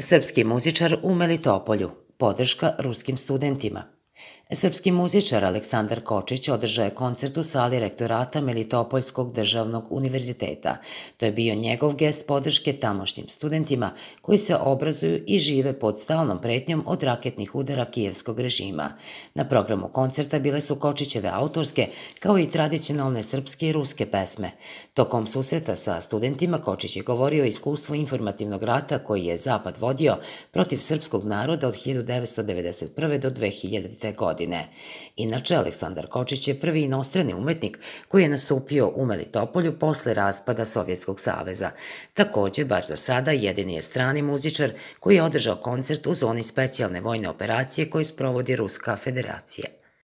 Srpski muzičar u Melitopolju. Podrška ruskim studentima. Srpski muzičar Aleksandar Kočić održao je koncert u sali rektorata Melitopoljskog državnog univerziteta. To je bio njegov gest podrške tamošnjim studentima koji se obrazuju i žive pod stalnom pretnjom od raketnih udara kijevskog režima. Na programu koncerta bile su Kočićeve autorske, kao i tradicionalne srpske i ruske pesme. Tokom susreta sa studentima Kočić je govorio o iskustvu informativnog rata koji je Zapad vodio protiv srpskog naroda od 1991. do 2000. godine. Inače, Aleksandar Kočić je prvi inostrani umetnik koji je nastupio u Melitopolju posle raspada Sovjetskog saveza. Takođe, bar za sada, jedini je strani muzičar koji je održao koncert u zoni specijalne vojne operacije koju sprovodi Ruska federacija.